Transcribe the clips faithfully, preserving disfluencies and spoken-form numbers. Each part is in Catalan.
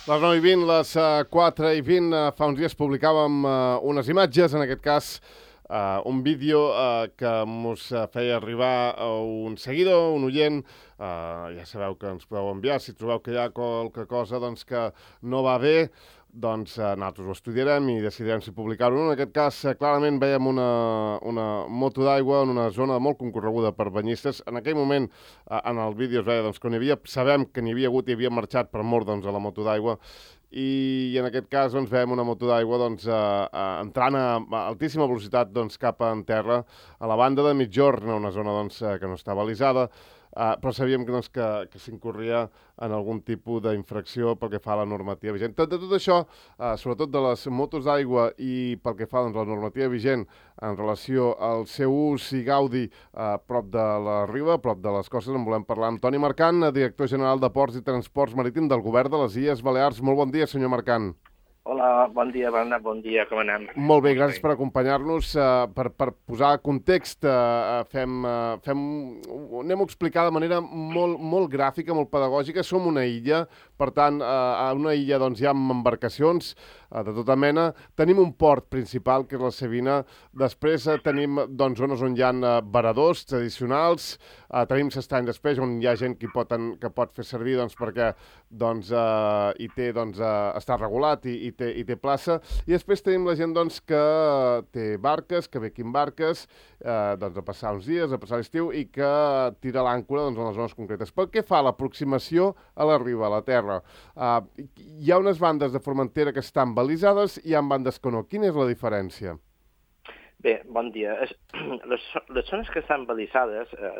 Les nou i vint, les uh, quatre i vint, uh, fa uns dies publicàvem uh, unes imatges, en aquest cas uh, un vídeo uh, que ens uh, feia arribar a un seguidor, un oient. Uh, ja sabeu que ens podeu enviar, si trobeu que hi ha qualque cosa doncs, que no va bé, doncs eh, nosaltres ho estudiarem i decidirem si publicar-ho o no. En aquest cas, eh, clarament veiem una, una moto d'aigua en una zona molt concorreguda per banyistes. En aquell moment, eh, en el vídeo es veia doncs, que n'hi havia, sabem que n'hi havia hagut i havia marxat per mort doncs, a la moto d'aigua, i en aquest cas doncs, veiem una moto d'aigua doncs, eh, eh, entrant a, a altíssima velocitat doncs, cap en terra a la banda de Migjorn, una zona doncs, eh, que no està balisada. Uh, però sabíem que, doncs, que, que s'incorria en algun tipus d'infracció pel que fa a la normativa vigent. Tot, de tot això, uh, sobretot de les motos d'aigua i pel que fa doncs, a la normativa vigent en relació al seu ús i gaudi a uh, prop de la riba, a prop de les costes, en volem parlar amb Toni Marcant, director general de Ports i Transports Marítim del Govern de les Illes Balears. Molt bon dia, senyor Marcant. Hola, bon dia, Bernat, bon dia, com anem? Molt bé, gràcies per acompanyar-nos. Uh, per, per posar context, uh, fem, uh, fem, anem a explicar de manera molt, molt gràfica, molt pedagògica. Som una illa, per tant, uh, a una illa doncs, hi ha embarcacions uh, de tota mena. Tenim un port principal, que és la Savina. Després uh, tenim doncs, zones on hi ha uh, varadors tradicionals. Uh, tenim s'estany després, on hi ha gent que pot, en, que pot fer servir doncs, perquè doncs, uh, hi té, doncs, uh, està regulat i, i, té, i té plaça. I després tenim la gent doncs, que té barques, que ve aquí amb barques, eh, doncs, a passar uns dies, a passar l'estiu, i que tira l'àncora doncs, en les zones concretes. Pel que fa a l'aproximació a la riba, a la terra, eh, hi ha unes bandes de Formentera que estan balisades i hi ha bandes que no. Quina és la diferència? Bé, bon dia. Les, les zones que estan balisades eh,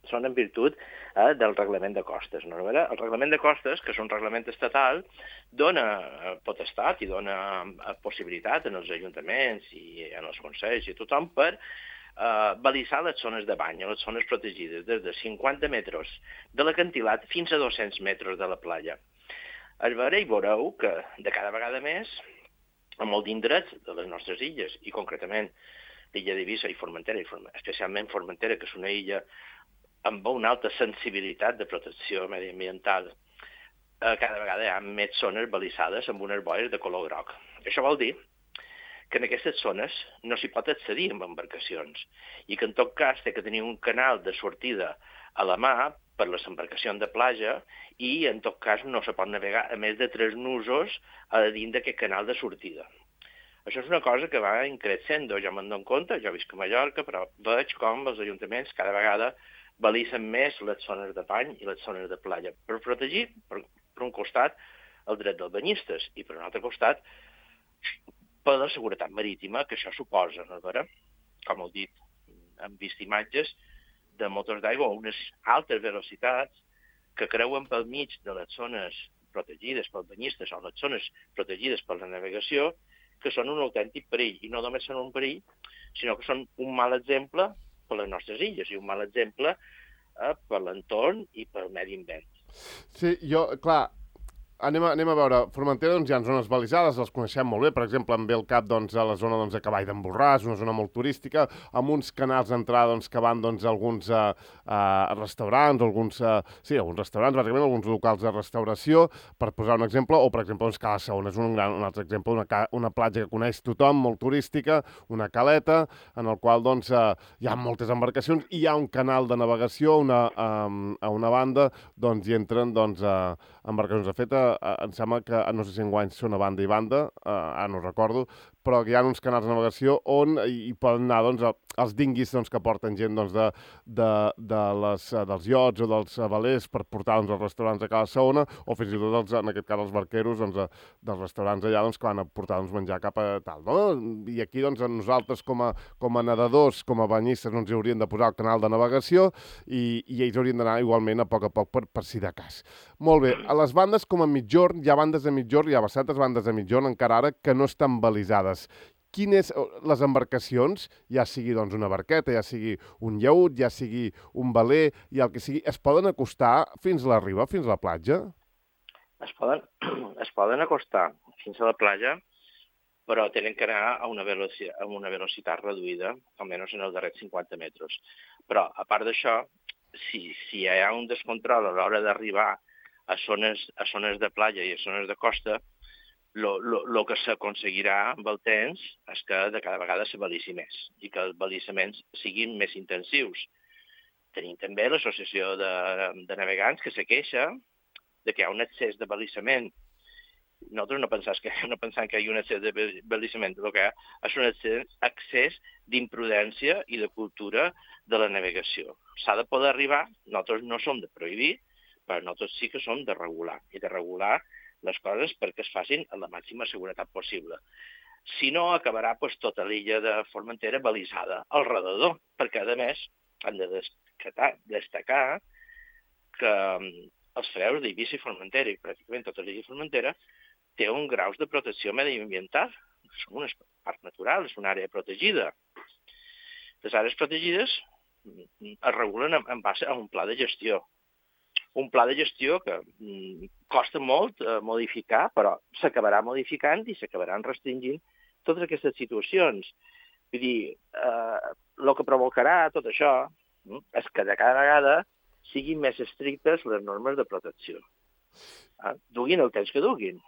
són en virtut eh, del reglament de costes. No? El reglament de costes, que és un reglament estatal, dona potestat i dona possibilitat en els ajuntaments i en els consells i tothom per eh, balisar les zones de bany, les zones protegides, des de cinquanta metres de l'acantilat fins a dos-cents metres de la platja. Es veurà i veureu que de cada vegada més, a molt d'indrets de les nostres illes, i concretament l'illa d'Eivissa i Formentera, i especialment Formentera, que és una illa amb una alta sensibilitat de protecció mediambiental, eh, cada vegada hi ha més zones balisades amb unes boies de color groc. Això vol dir que en aquestes zones no s'hi pot accedir amb embarcacions i que en tot cas té que tenir un canal de sortida a la mà per les embarcacions de platja i en tot cas no se pot navegar a més de tres nusos a dins d'aquest canal de sortida. Això és una cosa que va increixendo, jo me'n dono compte, jo visc a Mallorca, però veig com els ajuntaments cada vegada balisen més les zones de bany i les zones de platja per protegir, per, per un costat, el dret dels banyistes i per un altre costat, per la seguretat marítima que això suposa, no és vera? Com heu dit, hem vist imatges de motors d'aigua a unes altes velocitats que creuen pel mig de les zones protegides pels banyistes o les zones protegides per la navegació, que són un autèntic perill, i no només són un perill, sinó que són un mal exemple per les nostres illes i un mal exemple eh, per l'entorn i pel medi ambient. Sí, jo, clar, anem a, anem a veure, Formentera doncs, hi ha zones balisades, les coneixem molt bé, per exemple, em ve el cap doncs, a la zona doncs, de Cavall d'en Borràs, una zona molt turística, amb uns canals d'entrada doncs, que van doncs, a alguns uh, uh, restaurants, alguns, uh, sí, alguns restaurants, bàsicament alguns locals de restauració, per posar un exemple, o per exemple, doncs, Cala Saona és un, gran, un altre exemple, una, una platja que coneix tothom, molt turística, una caleta, en el qual doncs, uh, hi ha moltes embarcacions, i hi ha un canal de navegació una, um, a una banda, doncs, hi entren doncs, uh, embarcacions. De fet, em sembla que, no sé si enguany són a banda i banda, eh, ara no recordo, però que hi ha uns canals de navegació on hi, hi poden anar doncs, els dinguis doncs, que porten gent doncs, de, de, de les, dels iots o dels velers per portar doncs, als restaurants a Cala Saona, o fins i tot, els, en aquest cas, els barqueros doncs, dels restaurants allà doncs, que van a portar doncs, menjar cap a tal. No? I aquí doncs, nosaltres, com a, com a nedadors, com a banyistes, no ens hi hauríem de posar el canal de navegació i, i ells haurien d'anar igualment a poc a poc per, per si de cas. Molt bé, a les bandes com a Migjorn, hi ha bandes de Migjorn, hi ha bastantes bandes de Migjorn encara ara que no estan balisades. Quines les embarcacions, ja sigui doncs, una barqueta, ja sigui un llaüt, ja sigui un veler, i el que sigui, es poden acostar fins a la riba, fins a la platja? Es poden, es poden acostar fins a la platja, però tenen que anar a una velocitat, a una velocitat reduïda, almenys en els darrers cinquanta metres. Però, a part d'això, si, si hi ha un descontrol a l'hora d'arribar a zones, a zones de platja i a zones de costa, el que s'aconseguirà amb el temps és que de cada vegada se balissi més i que els balissaments siguin més intensius. Tenim també l'associació de, de navegants que se queixa de que hi ha un excés de balissament. Nosaltres no pensem que, no pensem que hi ha un excés de balissament, el que és un excés, excés d'imprudència i de cultura de la navegació. S'ha de poder arribar, nosaltres no som de prohibir, però nosaltres sí que som de regular, i de regular les coses perquè es facin amb la màxima seguretat possible. Si no, acabarà pues, tota l'illa de Formentera balisada al redador, perquè, a més, han de destacar, destacar que els freus d'Eivissa i Formentera, i pràcticament tota l'illa de Formentera, té un grau de protecció mediambiental. És un parc natural, és una àrea protegida. Les àrees protegides es regulen en base a un pla de gestió. Un pla de gestió que mm, costa molt eh, modificar, però s'acabarà modificant i s'acabaran restringint totes aquestes situacions. Vull dir, eh, el que provocarà tot això mm, és que de cada vegada siguin més estrictes les normes de protecció. Eh? Duguin el temps que duguin.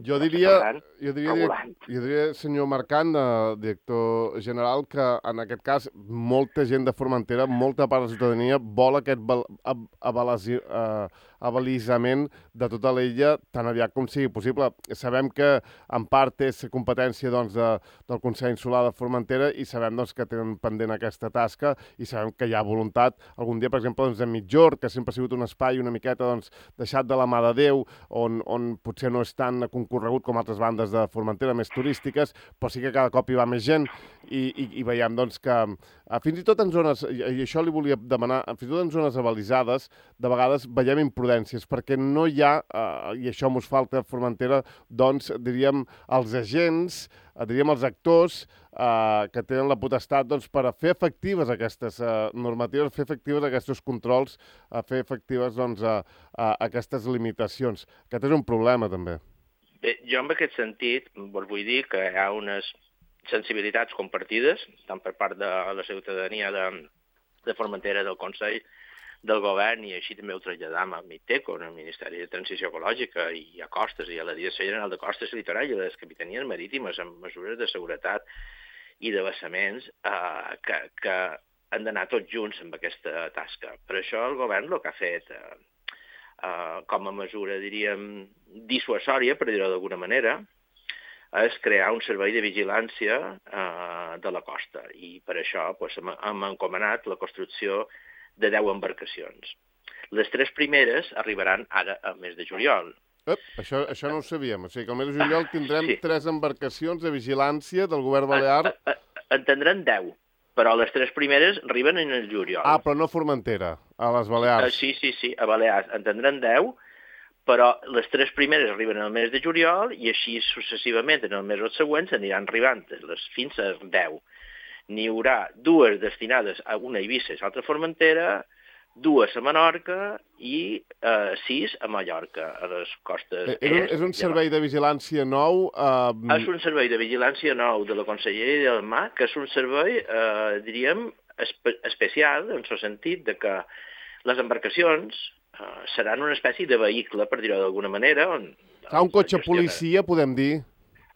Jo diria, jo diria, jo diria, senyor Marcant, eh, director general, que en aquest cas molta gent de Formentera, molta part de la ciutadania vol aquest abalisament de tota l'illa tan aviat com sigui possible. Sabem que en part és competència doncs, de, del Consell Insular de Formentera i sabem doncs, que tenen pendent aquesta tasca i sabem que hi ha voluntat. Algun dia, per exemple, doncs, a Mitjord, que sempre ha sigut un espai una miqueta doncs, deixat de la mà de Déu, on, on potser no és tan concorregut com altres bandes de Formentera més turístiques, però sí que cada cop hi va més gent i, i, i veiem doncs, que eh, fins i tot en zones, i, i això li volia demanar, fins i tot en zones abalisades, de vegades veiem imprudències, perquè no hi ha, eh, i això mos falta a Formentera, doncs, diríem, els agents, eh, diríem, els actors eh, que tenen la potestat doncs, per a fer efectives aquestes eh, normatives, fer efectives aquests controls, a fer efectives doncs, a, a aquestes limitacions. Aquest és un problema, també. Bé, jo en aquest sentit vos vull dir que hi ha unes sensibilitats compartides, tant per part de la ciutadania de, de Formentera, del Consell, del govern, i així també ho traslladam a MITECO, al Ministeri de Transició Ecològica, i a Costes, i a la Direcció General de Costes i Litoral, i a les capitanies marítimes, amb mesures de seguretat i de vessaments eh, que, que han d'anar tots junts amb aquesta tasca. Per això el govern el que ha fet eh, eh, com a mesura, diríem, dissuasòria, per dir-ho d'alguna manera, és crear un servei de vigilància eh, de la costa. I per això pues, hem, hem encomanat la construcció de deu embarcacions. Les tres primeres arribaran ara al mes de juliol. Ep, això, això no ho sabíem. O sigui que al mes de juliol tindrem sí. tres embarcacions de vigilància del govern balear. En, en, en tindran deu, però les tres primeres arriben en el juliol. Ah, però no a Formentera, a les Balears. Sí, sí, sí, a Balears en tindran deu, però les tres primeres arriben al mes de juliol i així successivament en els mesos següents aniran arribant les, fins a deu. N'hi haurà dues destinades a una a Eivissa i l'altra a Formentera, dues a Menorca i eh, sis a Mallorca, a les costes. Eh, és, un, és un servei de vigilància nou? Eh... És un servei de vigilància nou de la Conselleria del Mar, que és un servei, eh, diríem, espe especial, en el sentit de que les embarcacions eh, seran una espècie de vehicle, per dir-ho d'alguna manera. On, ah, un cotxe policia, podem dir?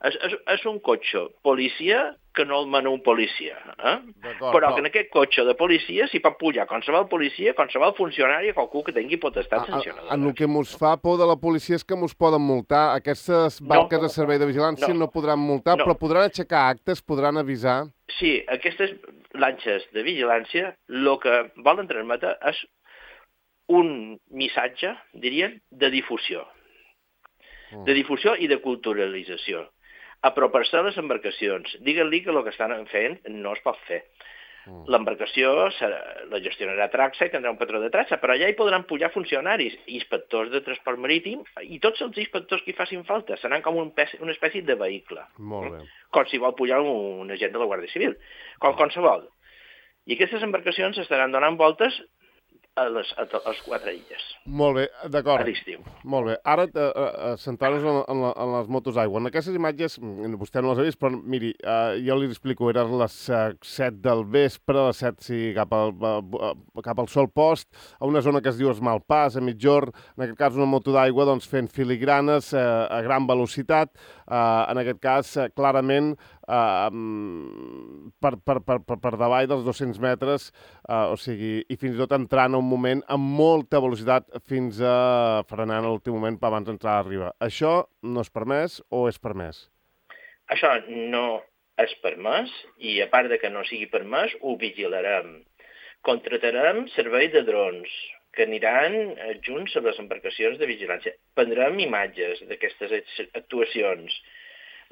És, és, és un cotxe policia que no el mana un policia. Eh? Però, però que en aquest cotxe de policia s'hi pot pujar qualsevol policia, qualsevol funcionari, qualcú que tingui potestat sancionadora. En el que mos fa por de la policia és que mos poden multar. Aquestes barques no, de servei de vigilància no, no podran multar, no. Però podran aixecar actes, podran avisar. Sí, aquestes lanxes de vigilància el que volen transmetre és un missatge, diríem, de difusió. De difusió i de culturalització. Apropar-se a les embarcacions. Digue-li que el que estan fent no es pot fer. Mm. L'embarcació la gestionarà Traxa i tindrà un patró de Traxa, però allà hi podran pujar funcionaris, inspectors de transport marítim i tots els inspectors que hi facin falta. Seran com un pes, una espècie de vehicle. Molt bé. Com si vol pujar un agent de la Guàrdia Civil. Com qualsevol. I aquestes embarcacions estaran donant voltes a les, a les quatre illes. Molt bé, d'acord. A l'estiu. Molt bé. Ara, uh, uh, centrar-nos en, en, la, en les motos d'aigua. En aquestes imatges, vostè no les ha vist, però miri, uh, jo li explico, eren les uh, set del vespre, les set sí, cap, al, uh, cap al sol post, a una zona que es diu Esmalpàs, a mitjorn, en aquest cas una moto d'aigua doncs, fent filigranes uh, a gran velocitat, uh, en aquest cas, uh, clarament, uh, per, per, per, per, per davall dels dos-cents metres, uh, o sigui, i fins i tot entrant a un moment amb molta velocitat fins a frenant a l'últim moment per abans d'entrar a riba. Això no és permès o és permès? Això no és permès i, a part de que no sigui permès, ho vigilarem. Contratarem servei de drons que aniran junts amb les embarcacions de vigilància. Prendrem imatges d'aquestes actuacions.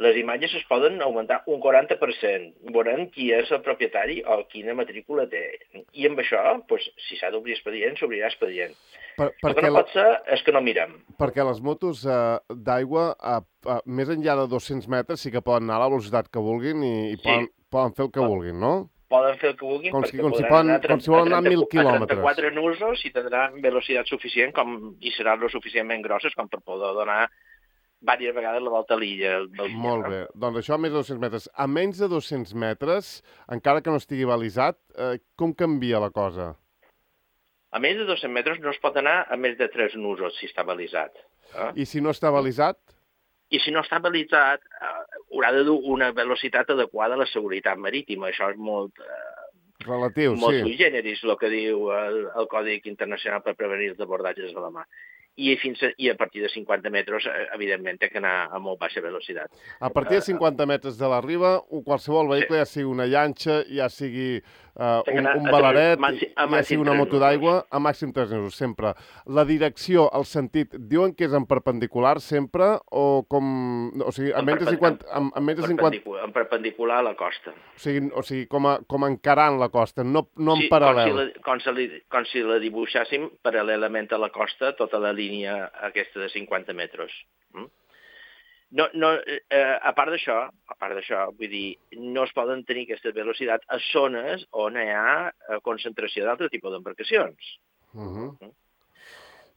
Les imatges es poden augmentar un quaranta per cent. Veurem qui és el propietari o quina matrícula té. I amb això, doncs, si s'ha d'obrir expedient, s'obrirà expedient. Per, el que no pot ser és que no mirem. Perquè les motos eh, d'aigua, eh, eh, més enllà de dos-cents metres, sí que poden anar a la velocitat que vulguin i, i sí. poden, poden fer el que vulguin, no? Poden fer el que vulguin, com perquè si, com podran si poden, anar a, com si volen anar a mil quilòmetres. A trenta-quatre nusos i tindran velocitat suficient com, i seran lo suficientment grosses com per poder donar diverses vegades la volta a l'illa. Molt bé. Doncs això a més de dos-cents metres. A menys de dos-cents metres, encara que no estigui balisat, eh, com canvia la cosa? A menys de dos-cents metres no es pot anar a més de tres nusos si està balisat. Eh? I si no està balisat? I si no està balisat, eh, haurà de dur una velocitat adequada a la seguretat marítima. Això és molt... Eh, relatiu, molt sí. Molt sui generis, el que diu el, el Còdic Internacional per prevenir els abordatges a la mà. I, fins a, I a partir de cinquanta metres, evidentment, té que anar a molt baixa velocitat. A partir de cinquanta metres de la riba, qualsevol vehicle, sí. ja sigui una llanxa, ja sigui uh, un, un balaret, màxim, ja sigui una moto d'aigua, a màxim tres nusos, sempre. La direcció, el sentit, diuen que és en perpendicular sempre o com... O sigui, a menys de cinquanta... En, en, menys de cinquanta... en perpendicular a la costa. O sigui, o sigui com, a, com encarant la costa, no, no en sí, paral·lel. Com si, la, com, si la, com si la dibuixàssim paral·lelament a la costa, tota la línia aquesta de cinquanta metres. Mm? No, no, eh, a part d'això, a part d'això, vull dir, no es poden tenir aquesta velocitat a zones on hi ha concentració d'altre tipus d'embarcacions. Uh -huh. mm?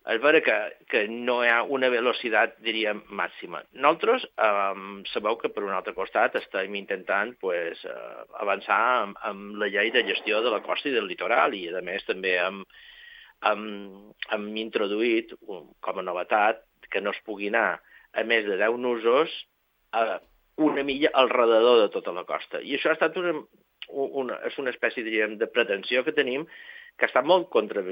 És vera que, que no hi ha una velocitat, diríem, màxima. Nosaltres eh, sabeu que, per un altre costat, estem intentant pues, eh, avançar amb, amb la llei de gestió de la costa i del litoral i, a més, també amb Hem, hem introduït com a novetat que no es pugui anar a més de deu nusos a una milla al redador de tota la costa. I això ha estat una, una, és una espècie, diríem, de pretensió que tenim que està molt contra,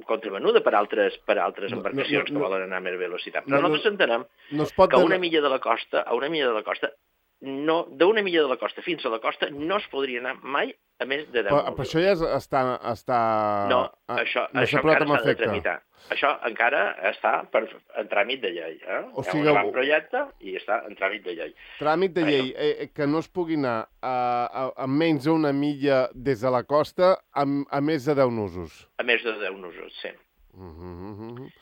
contravenuda per altres, per altres embarcacions no, no, no, que volen anar a més velocitat. Però no, nosaltres entenem no es pot que a una milla de la costa, a una milla de la costa, no, d'una milla de la costa fins a la costa no es podria anar mai a més de deu nusos. Però això ja és, està, està... No, això, no això encara s'ha de tramitar. Això encara està per, en tràmit de llei. Eh? O sigui, hi ha un projecte i està en tràmit de llei. Tràmit de llei, eh, que no es pugui anar a, a, a menys d'una milla des de la costa a, a més de deu nusos. A més de deu nusos, sí. Uh -huh, uh -huh.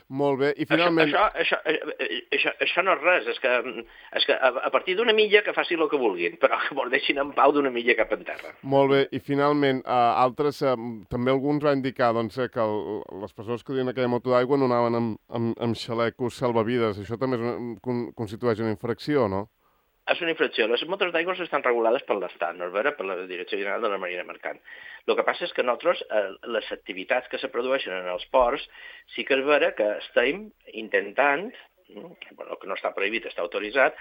Molt bé, i finalment... Això, això, això, això, això no és res, és que, és que a, a partir d'una milla que faci el que vulguin, però que mos deixin en pau d'una milla cap en terra. Molt bé, i finalment, uh, altres, uh, també alguns van indicar doncs, que el, les persones que duien aquella moto d'aigua no anaven amb, amb, amb xalecos salvavides. Això també és una, con, constitueix una infracció, no? És una infracció. Les motos d'aigua estan regulades per l'Estat, no és vera? Per la Direcció General de la Marina Mercant. El que passa és que nosaltres, eh, les activitats que se produeixen en els ports, sí que és vera que estem intentant, bueno, que no està prohibit, està autoritzat,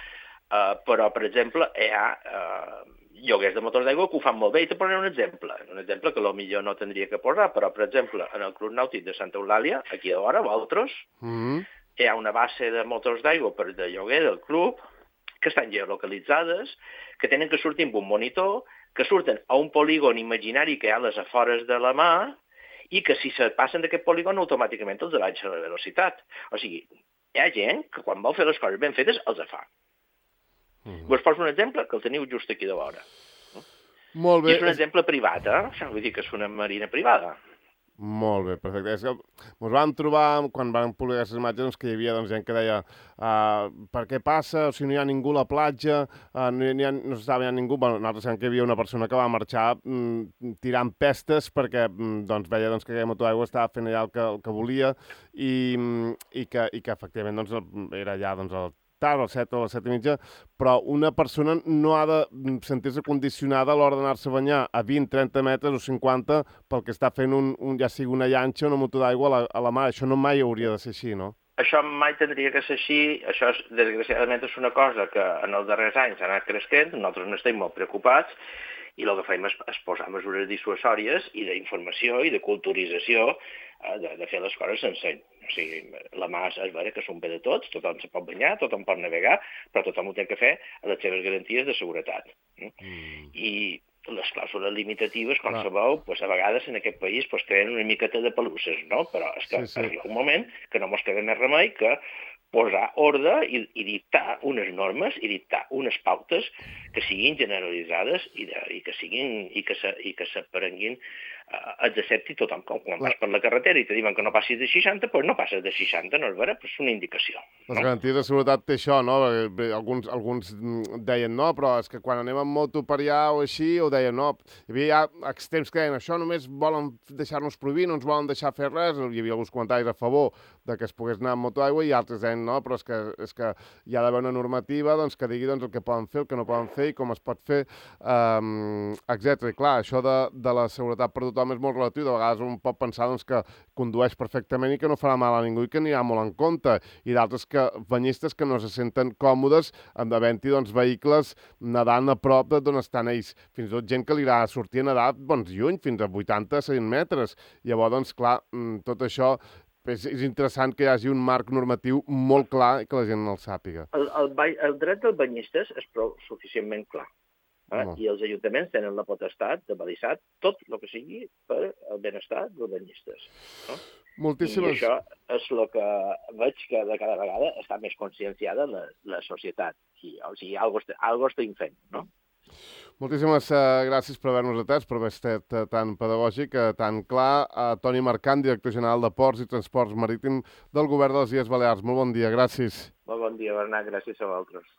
eh, però, per exemple, hi ha eh, lloguers de motors d'aigua que ho fan molt bé. I te posaré un exemple, un exemple que potser no tindria que posar, però, per exemple, en el Club Nàutic de Santa Eulàlia, aquí a vora, vosaltres, mm-hmm. hi ha una base de motors d'aigua per de lloguer del club, que estan geolocalitzades, que tenen que sortir amb un monitor, que surten a un polígon imaginari que hi ha a les afores de la mà i que si se passen d'aquest polígon automàticament els baixa la velocitat. O sigui, hi ha gent que quan vol fer les coses ben fetes els fa. Mm. Vos poso un exemple que el teniu just aquí de vora. Molt bé. I és un exemple privat, eh? Vull dir que és una marina privada. Molt bé, perfecte. És que ens vam trobar, quan vam publicar aquestes imatges, doncs, que hi havia doncs, gent que deia uh, per què passa, o si no hi ha ningú a la platja, uh, no, hi ha, no s'estava veient ningú. Bueno, nosaltres sabem que hi havia una persona que va marxar mm, tirant pestes perquè mm, doncs, veia doncs, que aquella moto d'aigua estava fent allà el que, el que volia i, i, que, i que efectivament doncs, era allà doncs, el tard, a les set o a les set i mitja, però una persona no ha de sentir-se condicionada a l'hora d'anar-se a banyar a vint, trenta metres o cinquanta pel que està fent un, un ja sigui una llanxa o una moto d'aigua a, la, a la mar. Això no mai hauria de ser així, no? Això mai tindria que ser així, això és, desgraciadament és una cosa que en els darrers anys ha anat creixent, nosaltres n'estem molt preocupats, i el que fem és, és posar mesures dissuasòries i d'informació i de culturització eh, de, de fer les coses senseny. O sigui, la mà és vera que són bé de tots, tothom se pot banyar, tothom pot navegar, però tothom ho té que fer a les seves garanties de seguretat. Mm. I les clàusules limitatives, com ah. sabeu, pues, a vegades en aquest país pues, creen una miqueta de pelusses, no? Però és que sí, sí. arriba un moment que no mos queda més remei que posar ordre i, i dictar unes normes i dictar unes pautes que siguin generalitzades i, de, i que siguin i que se, i que s'aprenguin eh, els accepti tothom. Com quan vas per la carretera i te diuen que no passis de seixanta, doncs no passes de seixanta, no és vera, però és una indicació. Les no? garanties de seguretat té això, no? Alguns, alguns deien no, però és que quan anem amb moto per allà o així, ho deien no. Hi havia ja extrems que deien això només volen deixar-nos prohibir, no ens volen deixar fer res. Hi havia alguns comentaris a favor de que es pogués anar amb moto d'aigua i altres deien no, però és que, és que hi ha d'haver una normativa doncs, que digui doncs, el que poden fer, el que no poden fer i com es pot fer, um, etcètera. I clar, això de, de la seguretat per tothom és molt relatiu. De vegades un pot pensar doncs, que condueix perfectament i que no farà mal a ningú i que anirà molt en compte. I d'altres que banyistes que no se senten còmodes en havent-hi doncs, vehicles nedant a prop d'on estan ells. Fins i tot gent que li agrada sortir a nedar doncs, lluny, fins a vuitanta a cent metres. Llavors, doncs, clar, tot això És, és interessant que hi hagi un marc normatiu molt clar i que la gent no el sàpiga. El, el, el dret dels banyistes és prou suficientment clar. Eh? No. I els ajuntaments tenen la potestat de balisar tot el que sigui per al benestar dels banyistes. No? Moltíssimes... I això és el que veig que de cada vegada està més conscienciada la, la societat. I, o sigui, alguna cosa estem fent, no? Moltíssimes uh, gràcies per haver-nos atès, per haver estat uh, tan pedagògic, uh, tan clar. Uh, Toni Marcant, director general de Ports i Transports Marítim del Govern de les Illes Balears. Molt bon dia, gràcies. Molt bon dia, Bernat, gràcies a vosaltres.